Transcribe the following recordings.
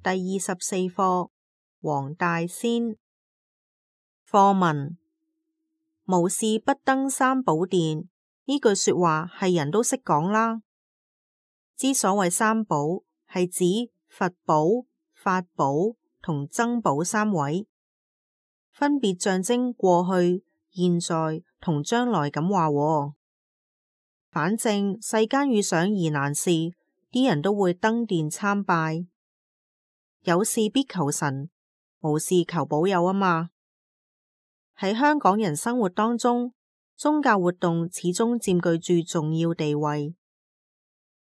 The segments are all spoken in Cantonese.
第24課黃大仙。課文：無事不登三寶殿，呢句說話係人都識講啦。之所謂三寶，係指佛寶、法寶同僧寶三位，分別象徵過去、現在同將來咁話喎。反正世間遇上疑難事，啲人都會登殿參拜。有事必求神，無事求保佑啊嘛。喺香港人生活當中，宗教活動始終佔據住重要地位。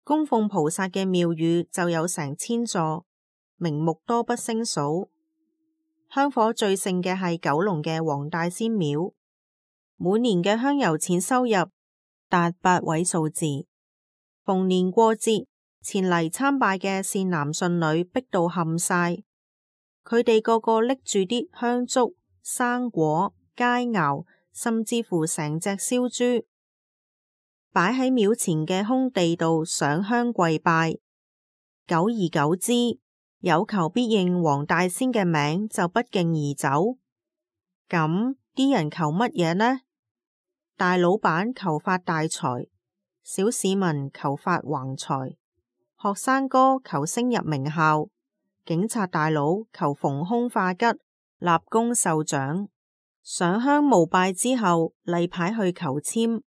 供奉菩薩嘅廟宇就有成千座，名目多不勝數。香火最盛嘅係九龍嘅黃大仙廟，每年嘅香油錢收入達8位數字。逢年過節，前嚟參拜嘅善男信女逼到冚晒，佢哋個個拎住啲香燭、生果、佳肴，甚至乎成隻燒豬，擺喺廟前嘅空地度上香跪拜。久而久之，有求必應黃大仙嘅名就不脛而走。咁啲人求乜嘢呢？大老闆求發大財，小市民求發橫財，學生哥求升入名校，警察大佬求逢凶化吉、立功受獎。上香膜拜之後，例牌去求籤，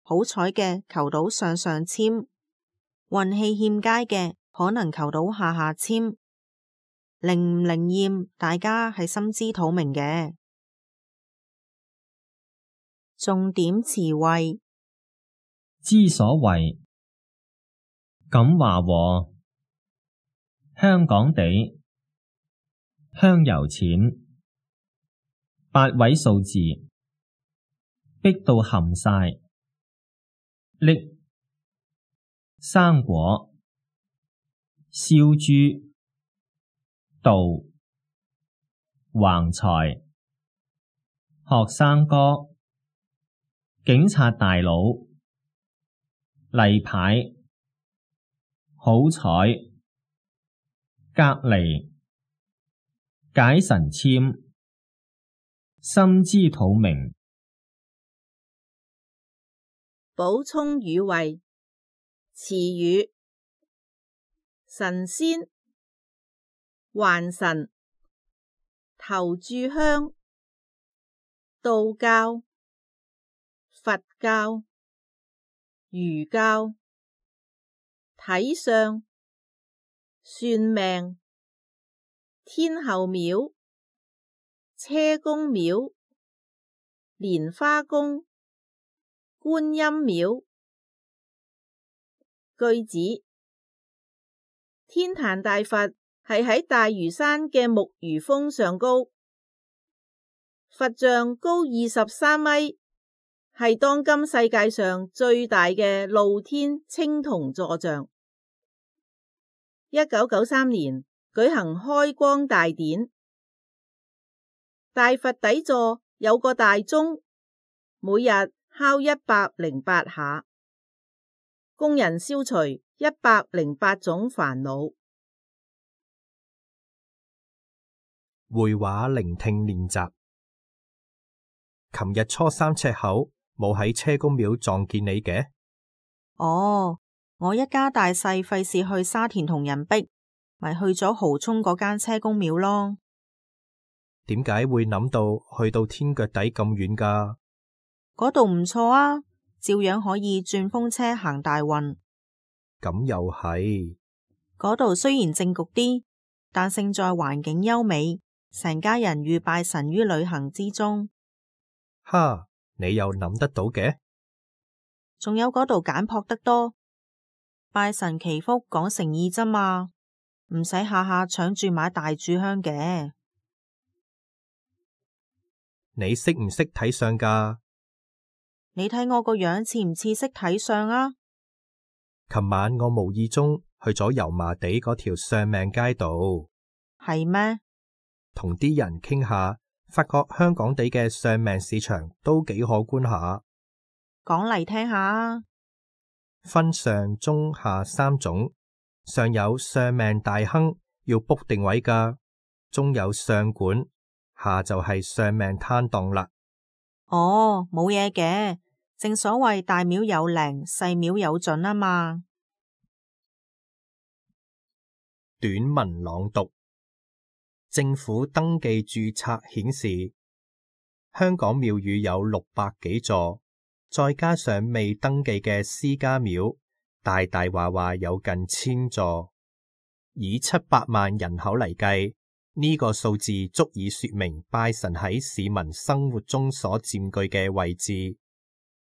好彩嘅求到上上籤，運氣欠佳嘅可能求到下下籤。靈唔靈驗，大家係心知肚明嘅。重點詞彙：之所謂，咁話喎，香港地，香油錢，8位數字，逼到冚晒，拎，生果，燒豬，道，橫財，學生哥，警察大佬，例牌，好彩，隔離，解神籤，心知肚明。補充語彙：詞語，神仙、還神、頭炷香、道教、佛教、儒教、睇相、算命、天后廟、車公廟、蓮花宮、觀音廟。句子：天壇大佛係喺大嶼山嘅木魚峰上高，佛像高23米，係當今世界上最大嘅露天青銅坐像。1993年舉行開光大典，大佛底座有個大鐘，每日敲108下，工人消除108種煩惱。會話聆聽練習。琴日初3赤口冇喺車公廟撞見你嘅？哦，我一家大細費事去沙田同人逼，咪去咗蠔涌嗰間車公廟咯。點解會諗到去到天腳底咁遠㗎？嗰度唔錯啊，照樣可以轉風車行大運。咁又係。嗰度雖然靜局啲，但勝在環境優美，成家人寓拜神於旅行之中。哈，你又諗得到嘅？仲有嗰度簡樸得多，拜神祈福講誠意咋嘛，唔使下下搶住買大炷香嘅。你識唔識睇相㗎？你睇我個樣似唔似識睇相啊？琴晚我無意中去咗油麻地嗰條相命街度。係咩？同啲人傾下，發覺香港地嘅相命市場都幾可觀下。講嚟聽下啊。分上中下3種，上有相命大亨，要 book 定位㗎，中有上館，下就係上命攤檔啦。哦，冇嘢嘅，正所謂大廟有靈，細廟有準啊嘛。短文朗讀。政府登記註冊顯示，香港廟宇有600幾座，再加上未登記嘅私家廟，大大話話有近1000座。以700萬人口嚟計，呢個數字足以說明拜神喺市民生活中所佔據嘅位置。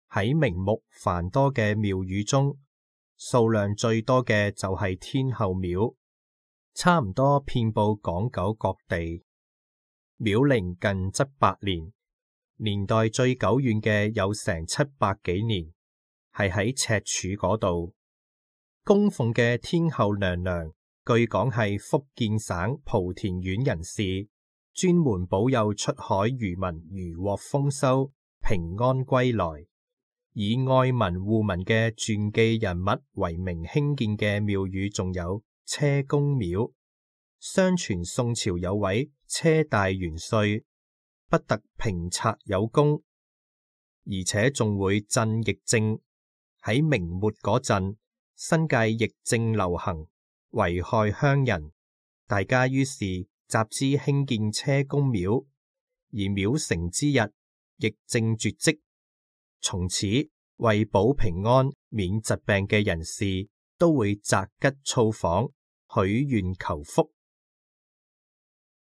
喺名目繁多嘅廟宇中，數量最多嘅就係天后廟，差唔多遍佈港九各地。廟齡近700年，年代最久遠嘅有成700幾年，係喺赤柱嗰度。供奉嘅天后娘娘，據講係福建省莆田縣人士，專門保佑出海漁民漁獲豐收、平安歸來。以愛民護民嘅傳記人物為名興建嘅廟宇，仲有車公廟。相傳宋朝有位車大元帥，不特平賊有功，而且仲會鎮疫症。喺明末嗰陣，新界疫症流行，危害鄉人，大家於是集資興建車公廟，而廟成之日，疫症絕迹。從此為保平安、免疾病嘅人士都會擇吉造訪，許願求福。